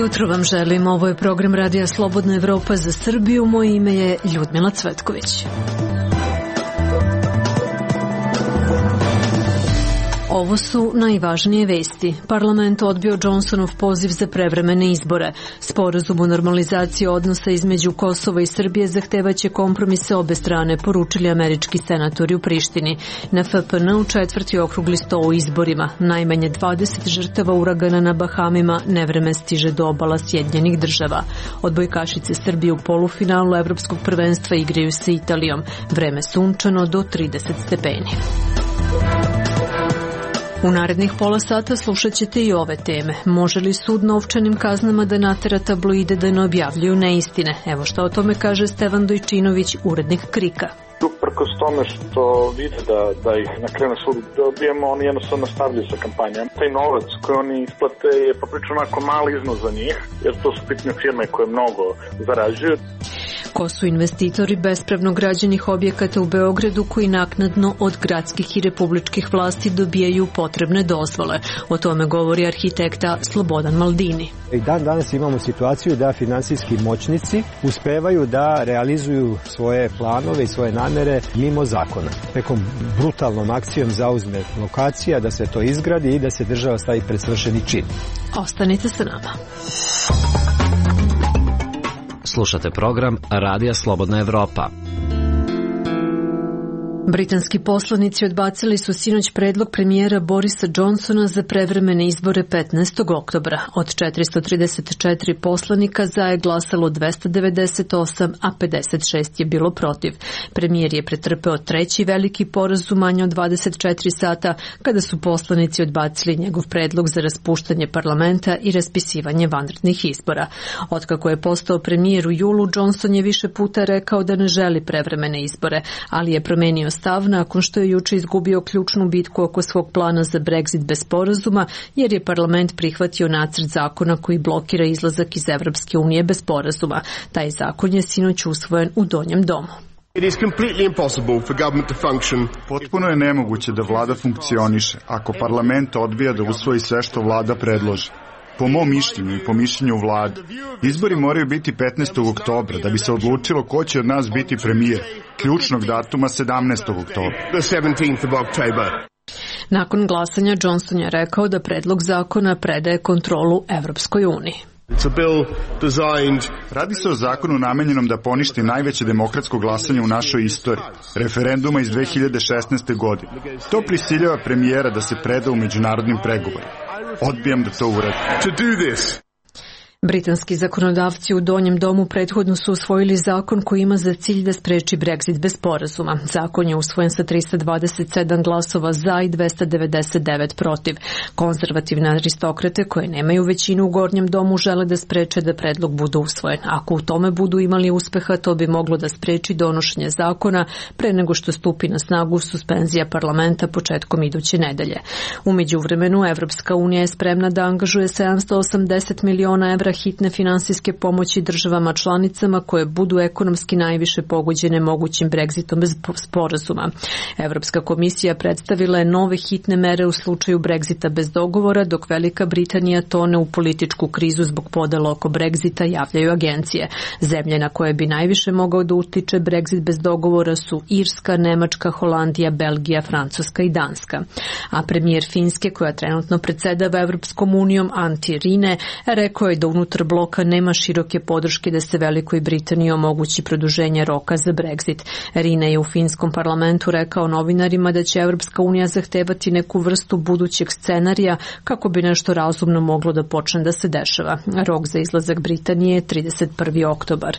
jutro vam želim. Ovo je program Radija Slobodna Evropa za Srbiju. Moje ime je Ljudmila Cvetković. Ovo su najvažnije vesti. Parlament odbio Johnsonov poziv za prevremene izbore. Sporazum o normalizaciji odnosa između Kosova i Srbije zahtevaće kompromise obe strane, poručili američki senatori u Prištini. Na FPN-u četvrti okrugli sto u izborima. Najmanje 20 žrtava uragana na Bahamima, nevreme stiže do obala Sjedinjenih Država. Odbojkašice Srbije u polufinalu Evropskog prvenstva igraju sa Italijom. Vreme sunčano do 30 stepeni. U narednih pola sata slušat ćete i ove teme. Može li sud novčanim kaznama da natera tabloide da ne objavljuju neistine? Evo što o tome kaže Stevan Dojčinović, urednik Krika. Uprkos tome što vide da ih na kraju na sudu dobijemo, oni jednostavno nastavljaju sa kampanjom. Taj novac koji oni isplate je poprično onako mali iznos za njih, jer to su bitne firme koje mnogo zarađuju. Ko su investitori bespravno građenih objekata u Beogradu koji naknadno od gradskih i republičkih vlasti dobijaju potrebne dozvole? O tome govori arhitekta Slobodan Maldini. I danas imamo situaciju da finansijski moćnici uspevaju da realizuju svoje planove i svoje namere mimo zakona. Nekom brutalnom akcijom zauzme lokacija, da se to izgradi i da se država stavi pred svršeni čin. Ostanite sa nama. Slušate program Radija Slobodna Evropa. Britanski poslanici odbacili su sinoć predlog premijera Borisa Johnsona za prevremene izbore 15. oktobra. Od 434 poslanika za je glasalo 298, a 56 je bilo protiv. Premijer je pretrpeo treći veliki poraz u manje od 24 sata kada su poslanici odbacili njegov predlog za raspuštanje parlamenta i raspisivanje vanrednih izbora. Otkako je postao premijer u julu, Johnson je više puta rekao da ne želi prevremene izbore, ali je promenio stav nakon što je juče izgubio ključnu bitku oko svog plana za Brexit bez sporazuma, jer je parlament prihvatio nacrt zakona koji blokira izlazak iz Evropske unije bez sporazuma. Taj zakon je sinoć usvojen u Donjem domu. Potpuno je nemoguće da vlada funkcioniše ako parlament odbija da usvoji sve što vlada predloži. Po mom mišljenju i po mišljenju vlade, izbori moraju biti 15. oktobra da bi se odlučilo ko će od nas biti premijer, ključnog datuma 17. oktobra. Nakon glasanja Johnson je rekao da predlog zakona predaje kontrolu Evropskoj uniji. Radi se o zakonu namenjenom da poništi najveće demokratsko glasanje u našoj istoriji, referenduma iz 2016. godine. To prisiljava premijera da se preda u međunarodnim pregovorima. Odbijam da to uradim. Britanski zakonodavci u Donjem domu prethodno su usvojili zakon koji ima za cilj da spreči Brexit bez sporazuma. Zakon je usvojen sa 327 glasova za i 299 protiv. Konzervativne aristokrate koje nemaju većinu u Gornjem domu žele da spreče da predlog bude usvojen. Ako u tome budu imali uspeha, to bi moglo da spreči donošenje zakona pre nego što stupi na snagu suspenzija parlamenta početkom iduće nedelje. U međuvremenu, Evropska unija je spremna da angažuje 780 miliona evra hitne finansijske pomoći državama članicama koje budu ekonomski najviše pogođene mogućim Brexitom bez sporazuma. Evropska komisija predstavila je nove hitne mere u slučaju Brexita bez dogovora, dok Velika Britanija tone u političku krizu zbog podela oko Brexita, javljaju agencije. Zemlje na koje bi najviše mogao da utiče Brexit bez dogovora su Irska, Nemačka, Holandija, Belgija, Francuska i Danska. A premijer Finske, koja trenutno predsedava Evropskom unijom, Antti Rinne, rekao je da unutar bloka nema široke podrške da se Velikoj Britaniji omogući produženje roka za Brexit. Rinne je u finskom parlamentu rekao novinarima da će Evropska unija zahtevati neku vrstu budućeg scenarija kako bi nešto razumno moglo da počne da se dešava. Rok za izlazak Britanije je 31. oktobar.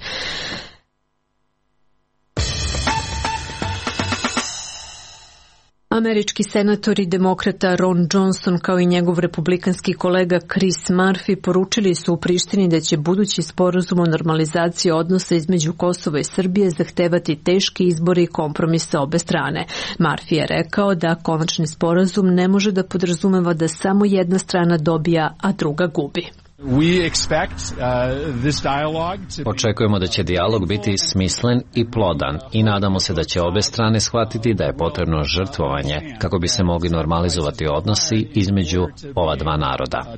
Američki senator i demokrata Ron Johnson kao i njegov republikanski kolega Chris Murphy poručili su u Prištini da će budući sporazum o normalizaciji odnosa između Kosova i Srbije zahtevati teške izbore i kompromise obe strane. Murphy je rekao da konačni sporazum ne može da podrazumeva da samo jedna strana dobija, a druga gubi. Očekujemo da će dijalog biti smislen i plodan i nadamo se da će obe strane shvatiti da je potrebno žrtvovanje kako bi se mogli normalizovati odnosi između ova dva naroda.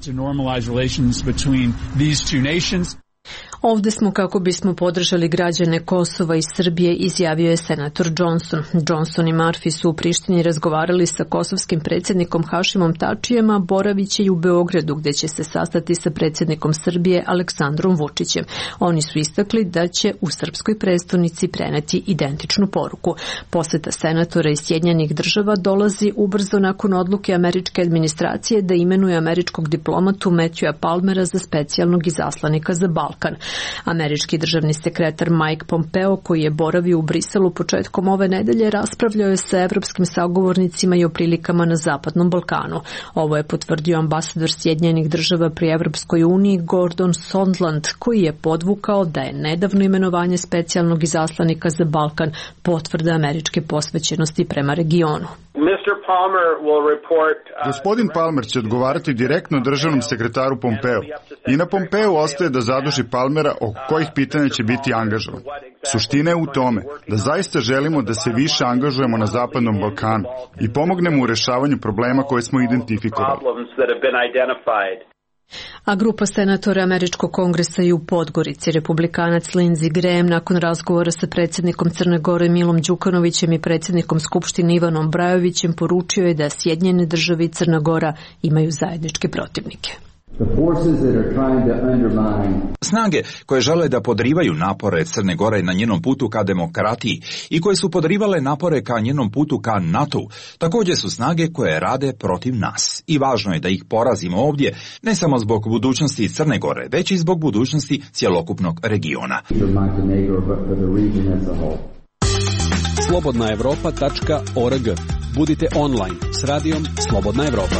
Ovde smo kako bismo podržali građane Kosova i Srbije, izjavio je senator Johnson. Johnson i Murphy su u Prištini razgovarali sa kosovskim predsjednikom Hašimom Tačijem, a boraviće i u Beogradu, gde će se sastati sa predsjednikom Srbije Aleksandrom Vučićem. Oni su istakli da će u srpskoj prestonici preneti identičnu poruku. Poseta senatora iz Sjedinjenih Država dolazi ubrzo nakon odluke američke administracije da imenuje američkog diplomatu Matthewa Palmera za specijalnog izaslanika za Balkan. Američki državni sekretar Mike Pompeo, koji je boravio u Briselu početkom ove nedelje, raspravljao je sa evropskim sagovornicima i o prilikama na Zapadnom Balkanu. Ovo je potvrdio ambasador Sjedinjenih Država pri Evropskoj uniji Gordon Sondland, koji je podvukao da je nedavno imenovanje specijalnog izaslanika za Balkan potvrda američke posvećenosti prema regionu. Gospodin Palmer će odgovarati direktno državnom sekretaru Pompeo i na Pompeu ostaje da zaduži Palmera oko kojih pitanja će biti angažovan. Suština je u tome da zaista želimo da se više angažujemo na Zapadnom Balkanu i pomognemo u rešavanju problema koje smo identifikovali. A grupa senatora Američkog kongresa i u Podgorici, republikanac Lindsey Graham, nakon razgovora sa predsjednikom Crne Gore Milom Đukanovićem i predsjednikom Skupštine Ivanom Brajovićem, poručio je da Sjedinjene Države i Crna Gora imaju zajedničke protivnike. Snage koje žele da podrivaju napore Crne Gore na njenom putu ka demokratiji i koje su podrivale napore ka njenom putu ka NATO-u, također su snage koje rade protiv nas. I važno je da ih porazimo ovdje, ne samo zbog budućnosti Crne Gore, već i zbog budućnosti cjelokupnog regiona. slobodnaevropa.org. Budite online s radijom Slobodna Evropa.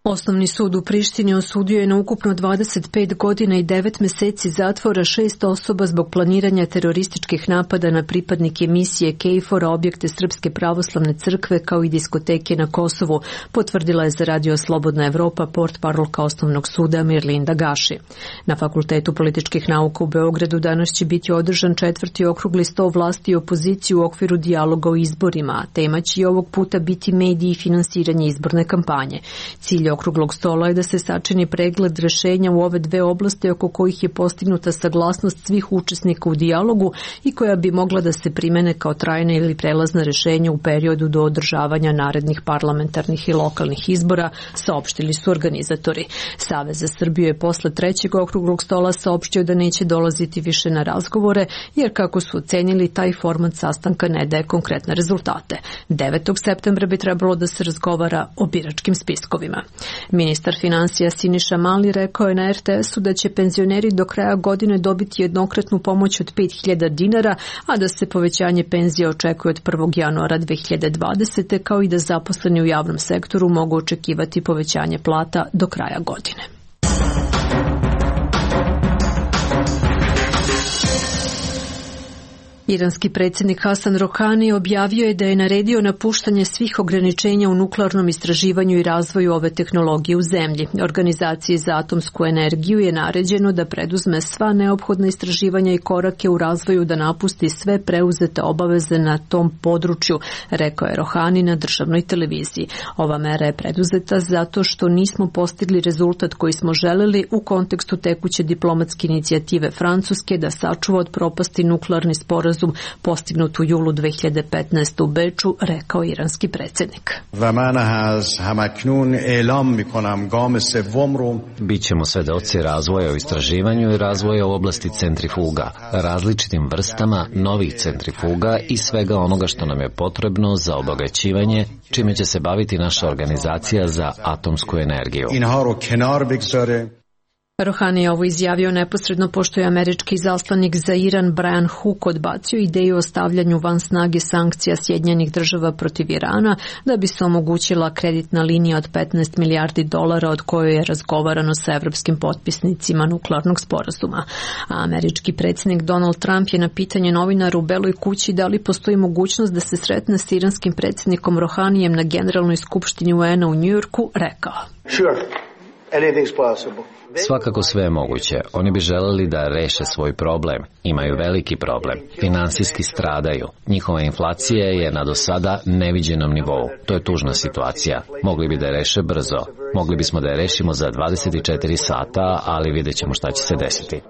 Osnovni sud u Prištini osudio je na ukupno 25 godina i 9 meseci zatvora 6 osoba zbog planiranja terorističkih napada na pripadnike misije KFOR-a, objekte Srpske pravoslavne crkve kao i diskoteke na Kosovu, potvrdila je za radio Slobodna Evropa portparolka Osnovnog suda Mirlinda Gaši. Na Fakultetu političkih nauka u Beogradu danas će biti održan 4. okrugli sto vlasti i opozicije u okviru dijaloga o izborima, a tema će i ovog puta biti mediji i finansiranje izborne kampanje. Cilj okruglog stola je da se sačini pregled rešenja u ove dve oblasti oko kojih je postignuta saglasnost svih učesnika u dijalogu i koja bi mogla da se primene kao trajna ili prelazna rešenja u periodu do održavanja narednih parlamentarnih i lokalnih izbora, saopštili su organizatori. Savez za Srbiju je posle 3. okruglog stola saopštio da neće dolaziti više na razgovore, jer kako su ocenili, taj format sastanka ne daje konkretne rezultate. 9. septembra bi trebalo da se razgovara o biračkim spiskovima. Ministar finansija Siniša Mali rekao je na RTS-u da će penzioneri do kraja godine dobiti jednokratnu pomoć od 5.000 dinara, a da se povećanje penzija očekuje od 1. januara 2020. kao i da zaposleni u javnom sektoru mogu očekivati povećanje plata do kraja godine. Iranski predsjednik Hasan Rohani objavio je da je naredio napuštanje svih ograničenja u nuklearnom istraživanju i razvoju ove tehnologije u zemlji. Organizaciji za atomsku energiju je naređeno da preduzme sva neophodna istraživanja i korake u razvoju, da napusti sve preuzete obaveze na tom području, rekao je Rohani na državnoj televiziji. Ova mera je preduzeta zato što nismo postigli rezultat koji smo želeli u kontekstu tekuće diplomatske inicijative Francuske da sačuva od propasti nuklearni sporazum postignut u julu 2015. u Beču, rekao iranski predsjednik. Bićemo svedoci razvoja u istraživanju i razvoja u oblasti centrifuga, različitim vrstama novih centrifuga i svega onoga što nam je potrebno za obogaćivanje, čime će se baviti naša organizacija za atomsku energiju. Rohani je ovo izjavio neposredno pošto je američki izaslanik za Iran Brian Hook odbacio ideju o stavljanju van snage sankcija Sjedinjenih Država protiv Irana da bi se omogućila kreditna linija od 15 milijardi dolara od koje je razgovarano sa evropskim potpisnicima nuklearnog sporazuma. A američki predsjednik Donald Trump je na pitanje novinara u Beloj kući da li postoji mogućnost da se sretne s iranskim predsjednikom Rohanijem na Generalnoj skupštini UN-a u Njujorku rekao: Sure. Svakako sve je moguće. Oni bi želeli da reše svoj problem. Imaju veliki problem. Finansijski stradaju. Njihova inflacija je na do sada neviđenom nivou. To je tužna situacija. Mogli bi da je reše brzo. Mogli bismo da je rešimo za 24 sata, ali vidjet ćemo šta će se desiti.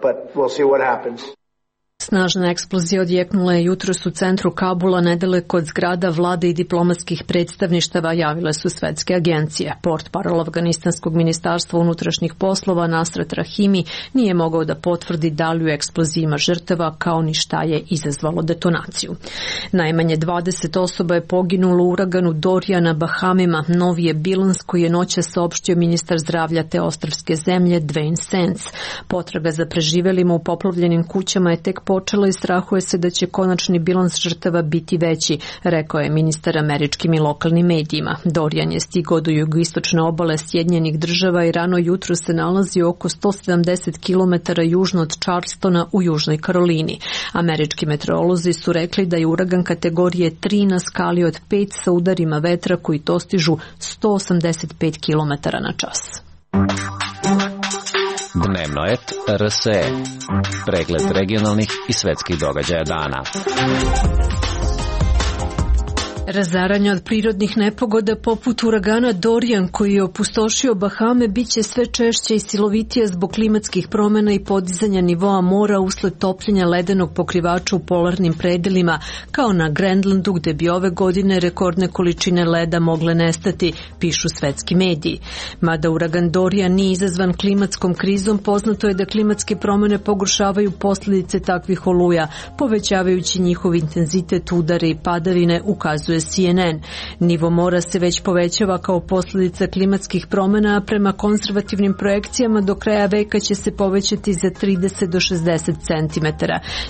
Snažna eksplozija odjeknula je jutros u centru Kabula, nedaleko od zgrada vlade i diplomatskih predstavništava, javile su svetske agencije. Portparol Afganistanskog ministarstva unutrašnjih poslova Nasrat Rahimi nije mogao da potvrdi da li u eksploziji ima žrtava, kao ni šta je izazvalo detonaciju. Najmanje 20 osoba je poginulo u uraganu Dorian na Bahamima. Novi je bilans koji je noćas saopštio ministar zdravlja te ostrvske zemlje Dwayne Sands. Potraga za preživelima u poplavljenim kućama je tek počela i strahuje se da će konačni bilans žrtava biti veći, rekao je ministar američkim i lokalnim medijima. Dorian je stigao do jugoistočne obale Sjedinjenih Država i rano jutro se nalazi oko 170 km južno od Charlestona u Južnoj Karolini. Američki meteorolozi su rekli da je uragan kategorije 3 na skali od 5 sa udarima vetra koji dostižu 185 km na čas. Dnevnoet RSE. Pregled regionalnih i svetskih događaja dana. Razaranje od prirodnih nepogoda poput uragana Dorian koji je opustošio Bahame biće sve češće i silovitije zbog klimatskih promjena i podizanja nivoa mora usled topljenja ledenog pokrivača u polarnim predelima, kao na Grenlandu gde bi ove godine rekordne količine leda mogle nestati, pišu svetski mediji. Mada uragan Dorian nije izazvan klimatskom krizom, poznato je da klimatske promjene pogoršavaju posljedice takvih oluja, povećavajući njihov intenzitet, udare i padavine, ukazuje CNN. Nivo mora se već povećava kao posljedica klimatskih promjena, a prema konzervativnim projekcijama do kraja veka će se povećati za 30 do 60 cm.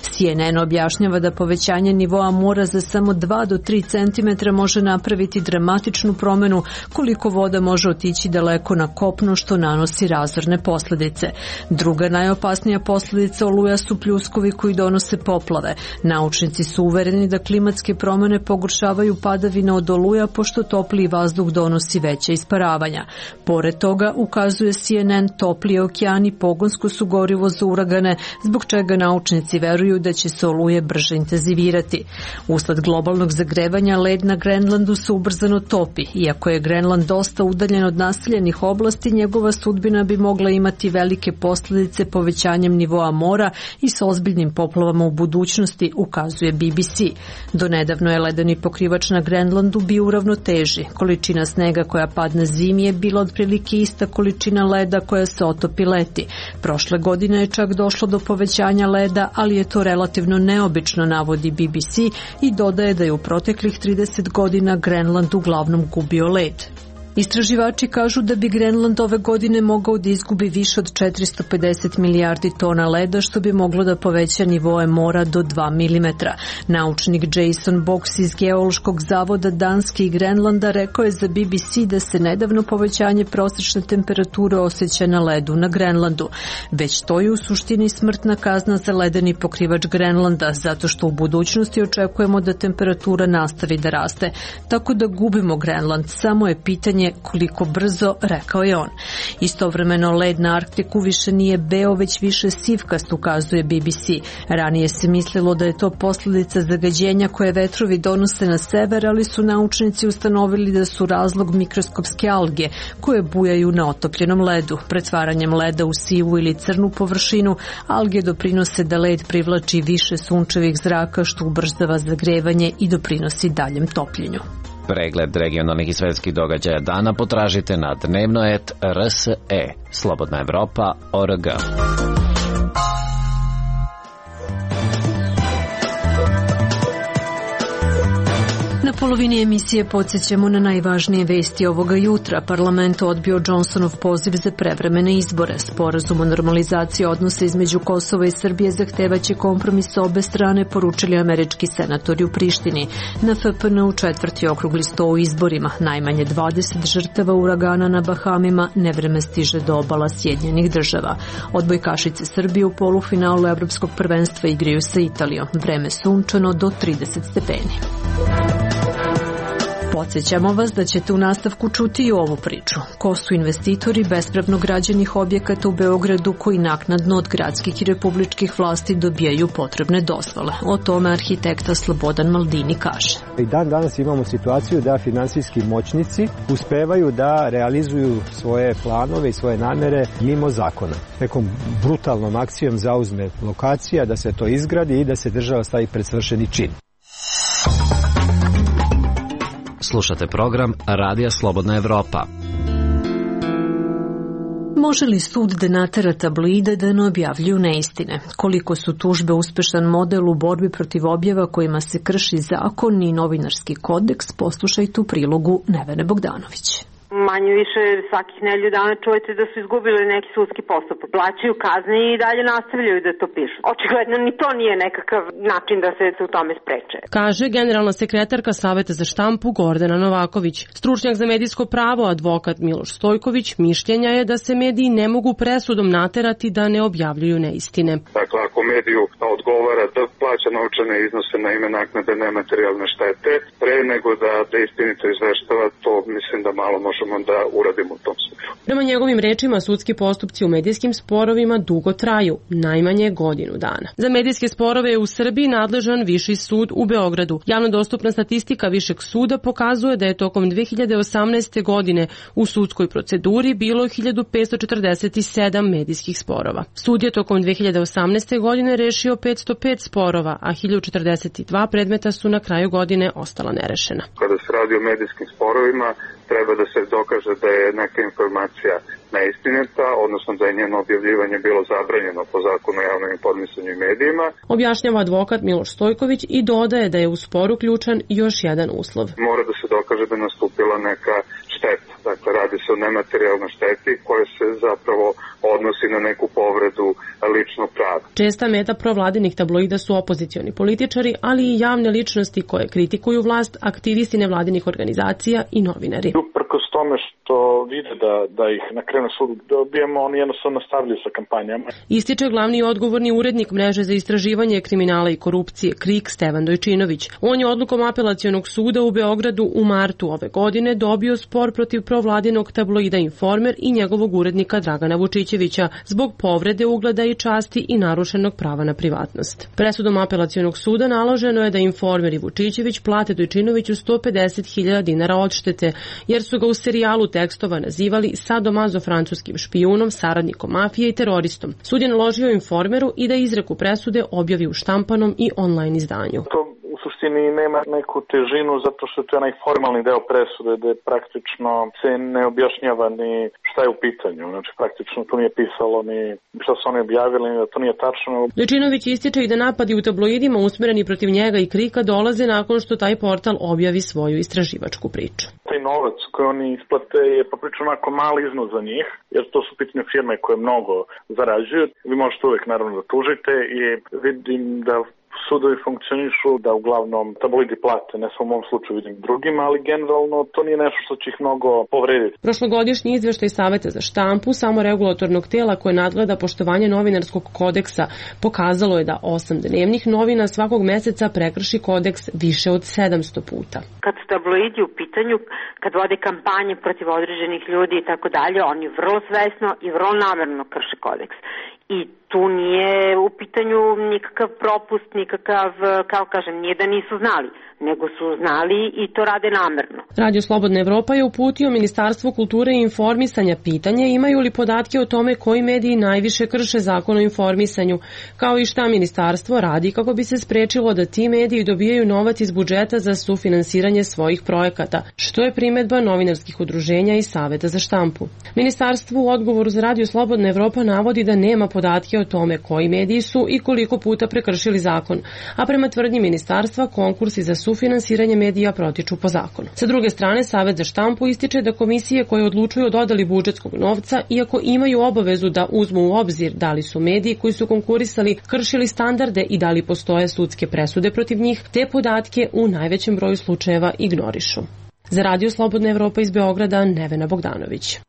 CNN objašnjava da povećanje nivoa mora za samo 2 do 3 cm može napraviti dramatičnu promjenu koliko voda može otići daleko na kopno, što nanosi razorne posljedice. Druga najopasnija posljedica oluja su pljuskovi koji donose poplave. Naučnici su uvereni da klimatske promjene pogoršavaju padavina od oluja pošto topliji vazduh donosi veća isparavanja. Pored toga, ukazuje CNN, topliji okeani pogonsko su gorivo za uragane, zbog čega naučnici veruju da će se oluje brže intenzivirati. Usled globalnog zagrevanja led na Grenlandu se ubrzano topi. Iako je Grenland dosta udaljen od naseljenih oblasti, njegova sudbina bi mogla imati velike posljedice povećanjem nivoa mora i s ozbiljnim poplavama u budućnosti, ukazuje BBC. Donedavno je ledeni pokrivač na Grenlandu bio u ravnoteži. Količina snega koja padne zimi je bila otprilike ista količina leda koja se otopi leti. Prošle godine je čak došlo do povećanja leda, ali je to relativno neobično, navodi BBC i dodaje da je u proteklih 30 godina Grenland uglavnom gubio led. Istraživači kažu da bi Grenland ove godine mogao da izgubi više od 450 milijardi tona leda, što bi moglo da poveća nivoe mora do 2 mm. Naučnik Jason Box iz Geološkog zavoda Danske i Grenlanda rekao je za BBC da se nedavno povećanje prosječne temperature osjeća na ledu na Grenlandu. Već to je u suštini smrtna kazna za ledeni pokrivač Grenlanda, zato što u budućnosti očekujemo da temperatura nastavi da raste. Tako da gubimo Grenland, samo je pitanje koliko brzo, rekao je on. Istovremeno led na Arktiku više nije beo, već više sivkast, ukazuje BBC. Ranije se mislilo da je to posljedica zagađenja koje vetrovi donose na sever, ali su naučnici ustanovili da su razlog mikroskopske alge koje bujaju na otopljenom ledu. Pretvaranjem leda u sivu ili crnu površinu, alge doprinose da led privlači više sunčevih zraka, što ubrzava zagrevanje i doprinosi daljem topljenju. Pregled regionalnih i svetskih događaja dana potražite na Dnevnoet RSE, Slobodna Evropa.org. Na polovini emisije podsjećamo na najvažnije vesti ovoga jutra. Parlament odbio Johnsonov poziv za prevremene izbore. Sporazum o normalizaciji odnosa između Kosova i Srbije zahtevaće kompromis sa obe strane, poručili američki senatori u Prištini. Na FPN-u 4. okrugli sto u izborima. Najmanje 20 žrtava uragana na Bahamima, nevreme stiže do obala Sjedinjenih Država. Odbojkašice Srbije u polufinalu Evropskog prvenstva igraju sa Italijom. Vreme sunčano do 30 stepeni. Podsjećamo vas da ćete u nastavku čuti i ovu priču. Ko su investitori bespravno građenih objekata u Beogradu koji naknadno od gradskih i republičkih vlasti dobijaju potrebne dozvole? O tome arhitekta Slobodan Maldini kaže. I dan danas imamo situaciju da finansijski moćnici uspevaju da realizuju svoje planove i svoje namere mimo zakona. Nekom brutalnom akcijom zauzme lokacija, da se to izgradi i da se država stavi pred svršeni čin. Slušate program Radija Slobodna Evropa. Može li sud da natera tabloide da ne objavljuju neistine? Koliko su tužbe uspešan model u borbi protiv objava kojima se krši zakon i novinarski kodeks, poslušajte u prilogu Nevene Bogdanović. Manje više svakih nedelju dana čujete da su izgubili neki sudski postupak. Plaćaju kazne i dalje nastavljaju da to pišu. Očigledno ni to nije nekakav način da se u tome spreče. Kaže generalna sekretarka Saveta za štampu Gordana Novaković. Stručnjak za medijsko pravo, advokat Miloš Stojković, mišljenja je da se mediji ne mogu presudom naterati da ne objavljuju neistine. Dakle, ako mediju odgovara da plaća novčane iznose na ime naknade nematerijalne štete, pre nego da istinito izveštava, to mislim da malo možemo da uradimo u tom smislu. Prema njegovim rečima, sudski postupci u medijskim sporovima dugo traju, najmanje godinu dana. Za medijske sporove je u Srbiji nadležan Viši sud u Beogradu. Javno dostupna statistika Višeg suda pokazuje da je tokom 2018. godine u sudskoj proceduri bilo 1547 medijskih sporova. Sud je tokom 2018. godine rešio 505 sporova, a 1042 predmeta su na kraju godine ostala nerešena. Kada se radi o medijskim sporovima, treba da se dokaže da je neka informacija neistinita, odnosno da je njeno objavljivanje bilo zabranjeno po zakonu o javnom informisanju i medijima. Objašnjava advokat Miloš Stojković i dodaje da je u sporu ključan još jedan uslov. Mora da se dokaže da je nastupila neka šteta. Dakle, radi se o nematerijalnoj šteti koja se zapravo odnosi na neku povredu ličnog prava. Česta meta provladinih tabloida su opozicioni političari, ali i javne ličnosti koje kritikuju vlast, aktivisti nevladinih organizacija i novinari. Uprkos tome što vide da ih na kraju na sudu dobijemo, oni jednostavno nastavljaju sa kampanjama. Ističe glavni i odgovorni urednik mreže za istraživanje kriminala i korupcije KRIK Stevan Dojčinović. On je odlukom apelacionog suda u Beogradu u martu ove godine dobio spor protiv provladinog tabloida Informer i njegovog urednika Dragana Vučićevića zbog povrede ugleda i časti i narušenog prava na privatnost. Presudom apelacionog suda naloženo je da Informer i Vučićević plate Dojčinoviću 150.000 dinara odštete, jer su ga u serijalu tekstova nazivali sadomazo-francuskim špijunom, saradnikom mafije i teroristom. Sud je naložio Informeru i da izreku presude objavi u štampanom i online izdanju. To u suštini nema neku težinu zato što je to onaj formalni deo presude gde praktično se ne objašnjava ni šta je u pitanju. Znači praktično tu nije pisalo ni šta su oni objavili, ni da to nije tačno. Dojčinović ističe i da napadi u tabloidima usmereni protiv njega i KRIK-a dolaze nakon što taj portal objavi svoju istraživačku priču. Taj novac koji oni isplate je poprilično onako mali iznos za njih, jer to su pitanje firme koje mnogo zarađuju. Vi možete uvek naravno da tužite i vidim da sudovi funkcionišu da uglavnom tabloidi plate, ne samo u mom slučaju vidim drugima, ali generalno to nije nešto što će ih mnogo povrediti. Prošlogodišnji izveštaj Saveta za štampu, samoregulatornog tela koje nadgleda poštovanje novinarskog kodeksa, pokazalo je da 8 dnevnih novina svakog meseca prekrši kodeks više od 700 puta. Kad su tabloidi u pitanju, kad vode kampanje protiv određenih ljudi i tako dalje, oni vrlo svesno i vrlo namerno krše kodeks. I tu nije u pitanju nikakav propust, nikakav, kao kažem, nije da nisu znali, nego su znali i to rade namerno. Radio Slobodna Evropa je uputio Ministarstvu kulture i informisanja pitanje imaju li podatke o tome koji mediji najviše krše zakon o informisanju, kao i šta ministarstvo radi kako bi se sprečilo da ti mediji dobijaju novac iz budžeta za sufinansiranje svojih projekata, što je primedba novinarskih udruženja i Saveta za štampu. Ministarstvo u odgovoru za Radio Slobodna Evropa navodi da nema podatke o tome koji mediji su i koliko puta prekršili zakon, a prema tvrdnji ministarstva konkursi za sufinansiranje medija protiču po zakonu. Sa druge strane, Savet za štampu ističe da komisije koje odlučuju o dodeli budžetskog novca, iako imaju obavezu da uzmu u obzir da li su mediji koji su konkurisali kršili standarde i da li postoje sudske presude protiv njih, te podatke u najvećem broju slučajeva ignorišu. Za Radio Slobodna Evropa iz Beograda, Nevena Bogdanović.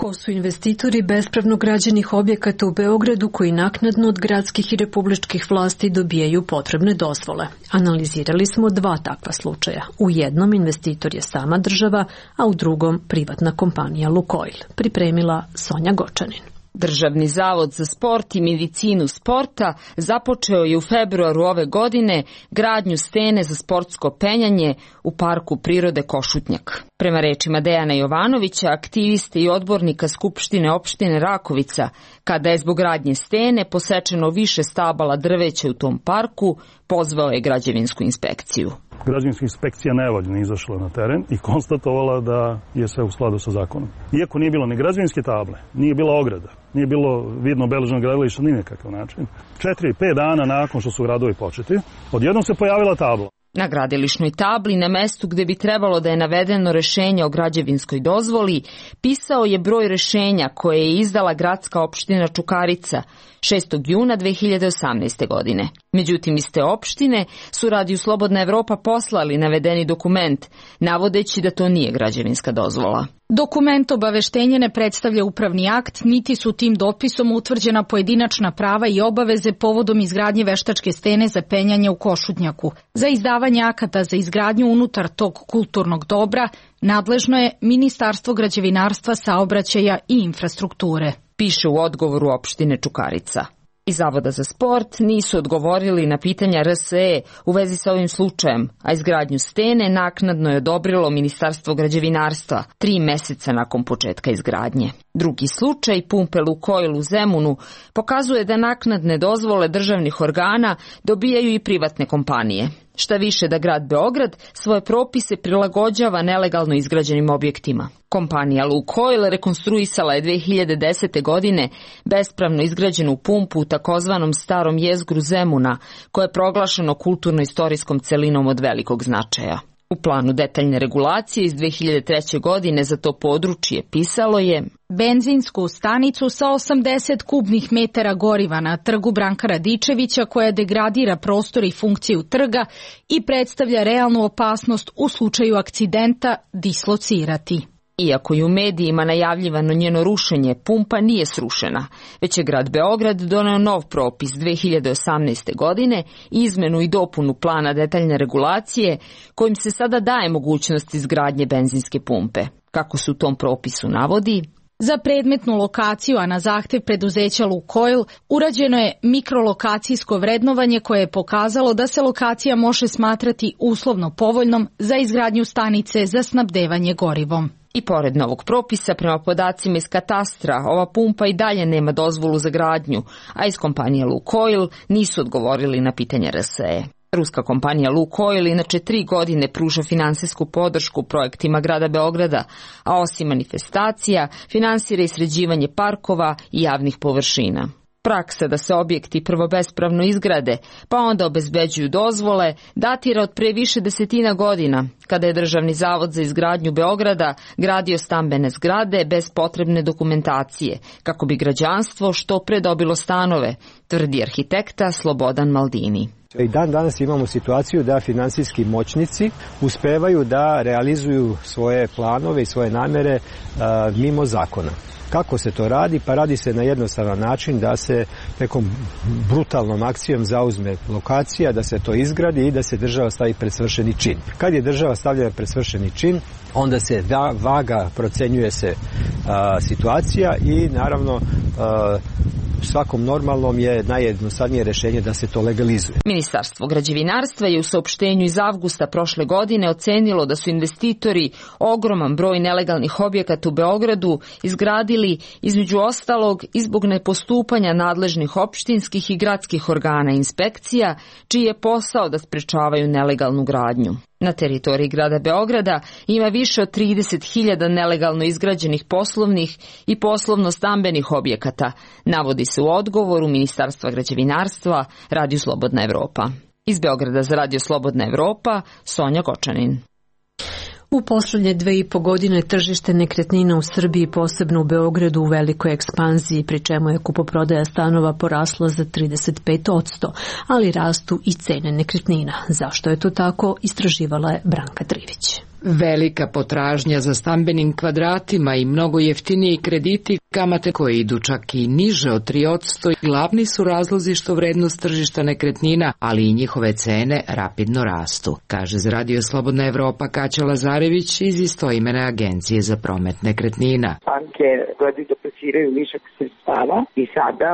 Ko su investitori bespravno građenih objekata u Beogradu koji naknadno od gradskih i republičkih vlasti dobijaju potrebne dozvole? Analizirali smo 2 takva slučaja. U jednom investitor je sama država, a u drugom privatna kompanija Lukoil. Pripremila Sonja Gočanin. Državni zavod za sport i medicinu sporta započeo je u februaru ove godine gradnju stene za sportsko penjanje u parku prirode Košutnjak. Prema rečima Dejana Jovanovića, aktiviste i odbornika Skupštine opštine Rakovica, kada je zbog gradnje stene posečeno više stabala drveća u tom parku, pozvao je građevinsku inspekciju. Građevinska inspekcija nevoljno izašla na teren i konstatovala da je sve u skladu sa zakonom. Iako nije bilo ni građevinske table, nije bila ograda, nije bilo vidno obeleženo gradilište ni nekakav način. 4-5 dana nakon što su radovi početi, odjednom se pojavila tabla. Na gradilišnoj tabli, na mestu gde bi trebalo da je navedeno rešenje o građevinskoj dozvoli, pisao je broj rešenja koje je izdala gradska opština Čukarica 6. juna 2018. godine. Međutim, iz te opštine su Radiju Slobodna Evropa poslali navedeni dokument, navodeći da to nije građevinska dozvola. Dokument obaveštenja ne predstavlja upravni akt, niti su tim dopisom utvrđena pojedinačna prava i obaveze povodom izgradnje veštačke stene za penjanje u Košutnjaku. Za izdavanje akata za izgradnju unutar tog kulturnog dobra nadležno je Ministarstvo građevinarstva, saobraćaja i infrastrukture. Piše u odgovoru opštine Čukarica. Iz Zavoda za sport nisu odgovorili na pitanja RSE u vezi sa ovim slučajem, a izgradnju stene naknadno je odobrilo Ministarstvo građevinarstva 3 meseca nakon početka izgradnje. Drugi slučaj, pumpe Lukoil u Zemunu, pokazuje da naknadne dozvole državnih organa dobijaju i privatne kompanije. Šta više da grad Beograd svoje propise prilagođava nelegalno izgrađenim objektima. Kompanija Lukoil rekonstruisala je 2010. godine bespravno izgrađenu pumpu u takozvanom starom jezgru Zemuna, koje je proglašeno kulturno-istorijskom celinom od velikog značaja. U planu detaljne regulacije iz 2003. godine za to područje pisalo je: benzinsku stanicu sa 80 kubnih metara goriva na trgu Branka Radičevića koja degradira prostor i funkciju trga i predstavlja realnu opasnost u slučaju akcidenta dislocirati. Iako je u medijima najavljivano njeno rušenje, pumpa nije srušena, već je grad Beograd doneo nov propis 2018. godine, izmenu i dopunu plana detaljne regulacije, kojim se sada daje mogućnost izgradnje benzinske pumpe. Kako se u tom propisu navodi, za predmetnu lokaciju, a na zahtev preduzeća Lukoil, urađeno je mikrolokacijsko vrednovanje koje je pokazalo da se lokacija može smatrati uslovno povoljnom za izgradnju stanice za snabdevanje gorivom. I pored novog propisa, prema podacima iz katastra, ova pumpa i dalje nema dozvolu za gradnju, a iz kompanije Lukoil nisu odgovorili na pitanje RSE. Ruska kompanija Lukoil inače 3 godine pruža finansijsku podršku projektima grada Beograda, a osim manifestacija, finansira i sređivanje parkova i javnih površina. Praksa da se objekti prvo bespravno izgrade, pa onda obezbeđuju dozvole, datira od pre više desetina godina, kada je Državni zavod za izgradnju Beograda gradio stambene zgrade bez potrebne dokumentacije, kako bi građanstvo što pre dobilo stanove, tvrdi arhitekta Slobodan Maldini. I dan danas imamo situaciju da finansijski moćnici uspevaju da realizuju svoje planove i svoje namere mimo zakona. Kako se to radi? Pa radi se na jednostavan način da se nekom brutalnom akcijom zauzme lokacija, da se to izgradi i da se država stavi pred svršeni čin. Kad je država stavljena pred svršeni čin, onda se vaga, procenjuje se situacija i naravno svakom normalnom je najjednostavnije rešenje da se to legalizuje. Ministarstvo građevinarstva je u saopštenju iz avgusta prošle godine ocenilo da su investitori ogroman broj nelegalnih objekata u Beogradu izgradili između ostalog i zbog nepostupanja nadležnih opštinskih i gradskih organa i inspekcija, čiji je posao da sprečavaju nelegalnu gradnju. Na teritoriji grada Beograda ima više od 30.000 nelegalno izgrađenih poslovnih i poslovno-stambenih objekata, navodi se u odgovoru Ministarstva građevinarstva Radiju Slobodna Evropa. Iz Beograda za Radio Slobodna Evropa, Sonja Gočanin. U poslednje 2,5 godine tržište nekretnina u Srbiji, posebno u Beogradu, u velikoj ekspanziji, pri čemu je kupoprodaja stanova porasla za 35%, ali rastu i cene nekretnina. Zašto je to tako, istraživala je Branka Trivić. Velika potražnja za stambenim kvadratima i mnogo jeftiniji krediti, kamate koje idu čak i niže od 3%, glavni su razlozi što vrednost tržišta nekretnina, ali i njihove cene rapidno rastu, kaže za Radio Slobodna Evropa Kaća Lazarević iz istoimene agencije za promet nekretnina. Banke gledaju da plasiraju višak sredstava i sada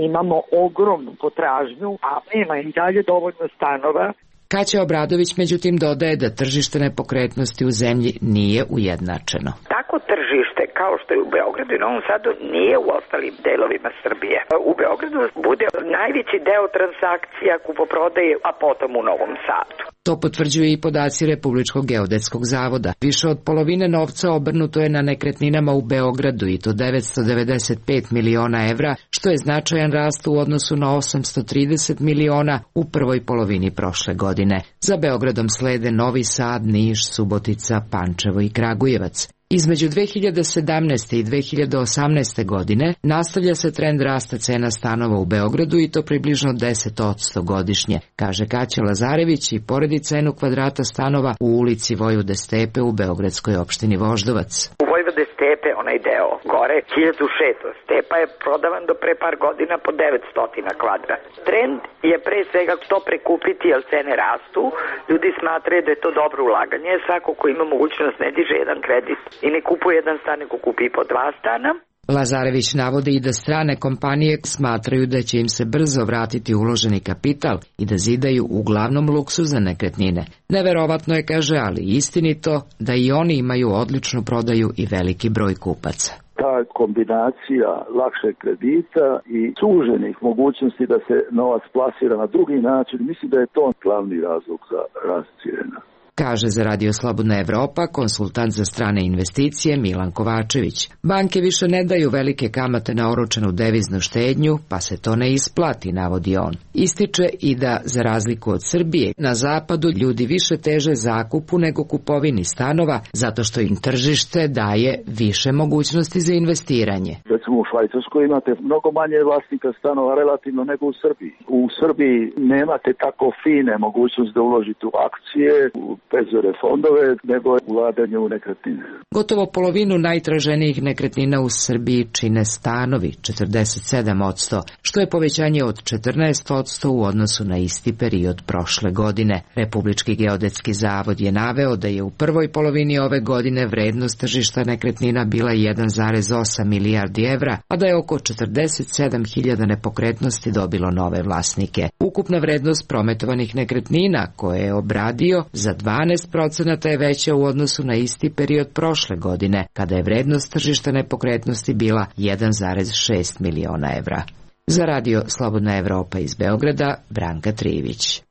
imamo ogromnu potražnju, a nema i dalje dovoljno stanova. Kaća Obradović međutim dodaje da tržište nepokretnosti u zemlji nije ujednačeno. Tako tržište kao što je u Beogradu i Novom Sadu nije u ostalim delovima Srbije. U Beogradu bude najveći deo transakcija kupoprodaje, a potom u Novom Sadu. To potvrđuju i podaci Republičkog geodetskog zavoda. Više od polovine novca obrnuto je na nekretninama u Beogradu i to 995 miliona evra, što je značajan rast u odnosu na 830 miliona u prvoj polovini prošle godine. Za Beogradom slede Novi Sad, Niš, Subotica, Pančevo i Kragujevac. Između 2017. i 2018. godine nastavlja se trend rasta cena stanova u Beogradu i to približno 10% godišnje, kaže Kaća Lazarević i poredi cenu kvadrata stanova u ulici Vojvode Stepe u beogradskoj opštini Voždovac. U Vojvode Stepe, onaj deo gore, 1600. Stepa je prodavan do pre par godina po 900 kvadrat. Trend je pre svega to prekupiti, jer cene rastu. Ljudi smatraju da je to dobro ulaganje. Svako ko ima mogućnost ne diže jedan kredit i ne kupuje jedan stan, nego kupi po 2 stana. Lazarević navodi i da strane kompanije smatraju da će im se brzo vratiti uloženi kapital i da zidaju uglavnom luksuzne nekretnine. Neverovatno je, kaže, ali istinito da i oni imaju odličnu prodaju i veliki broj kupaca. Ta kombinacija lakšeg kredita i suženih mogućnosti da se novac plasira na drugi način, mislim da je to glavni razlog za rast cijena. Kaže za Radio Slobodna Evropa konsultant za strane investicije Milan Kovačević. Banke više ne daju velike kamate na oročenu deviznu štednju, pa se to ne isplati, navodi on. Ističe i da, za razliku od Srbije, na zapadu ljudi više teže zakupu nego kupovini stanova, zato što im tržište daje više mogućnosti za investiranje. Recimo u Švajcarskoj imate mnogo manje vlasnika stanova relativno nego u Srbiji. U Srbiji nemate tako fine mogućnosti da uložite u akcije, u penzijske fondove, nego ulaganje u nekretnine. Gotovo polovinu najtraženijih nekretnina u Srbiji čine stanovi, 47%, što je povećanje od 14% u odnosu na isti period prošle godine. Republički geodetski zavod je naveo da je u prvoj polovini ove godine vrednost tržišta nekretnina bila 1,8 milijardi evra, a da je oko 47.000 nepokretnosti dobilo nove vlasnike. Ukupna vrednost prometovanih nekretnina koje je obradio za 12% je veća u odnosu na isti period prošle godine, kada je vrednost tržišta nepokretnosti bila 1,6 miliona evra. Za Radio Slobodna Evropa iz Beograda, Branka Trivić.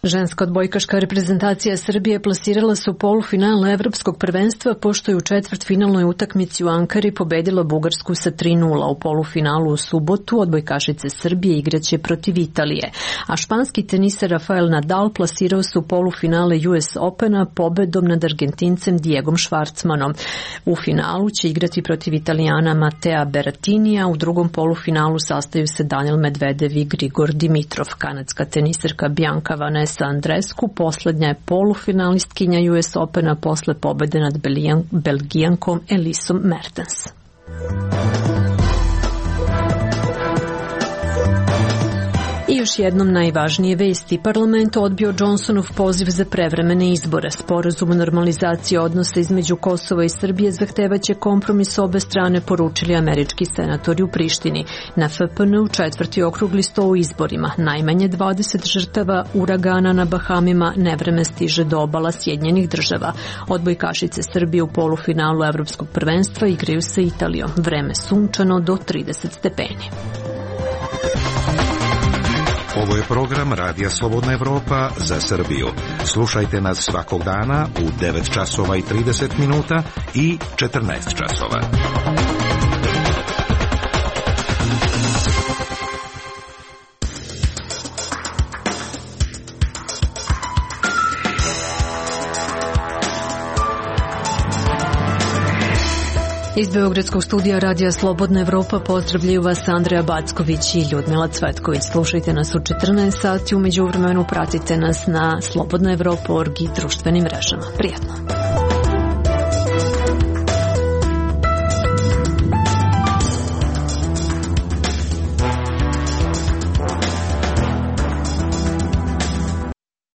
Ženska odbojkaška reprezentacija Srbije plasirala se u polufinal Evropskog prvenstva, pošto je u četvrtfinalnoj utakmici u Ankari pobedila Bugarsku sa 3:0. U polufinalu u subotu odbojkašice Srbije igraće protiv Italije, a španski teniser Rafael Nadal plasirao se u polufinale US Opena pobedom nad Argentincem Diegom Švarcmanom. U finalu će igrati protiv Italijana Matea Berrettinija, u drugom polufinalu sastaju se Daniel Medvedev i Grigor Dimitrov. Kanadska teniserka Bianca Vanessa Andrescu poslednja je polufinalistkinja US Opena posle pobede nad Belgijankom Elisom Mertens. I još jednom najvažnije vesti. Parlament odbio Johnsonov poziv za prevremene izbore. Sporazum o normalizaciji odnosa između Kosova i Srbije zahtevaće kompromis obe strane, poručili američki senatori u Prištini. Na FPN-u 4. okrugli sto u izborima. Najmanje 20 žrtava uragana na Bahamima, nevreme stiže do obala Sjedinjenih Država. Odbojkašice Srbije u polufinalu Evropskog prvenstva igraju sa Italijom. Vreme sunčano do 30 stepeni. Ovo je program Radija Slobodna Evropa za Srbiju. Slušajte nas svakog dana u 9 časova i 30 minuta i 14 časova. Iz Beogradskog studija Radija Slobodna Evropa pozdravljaju vas Andreja Backović i Ljudmila Cvetković. Slušajte nas u 14 sati, u međuvremenu pratite nas na slobodnaevropa.org i društvenim mrežama. Prijatno!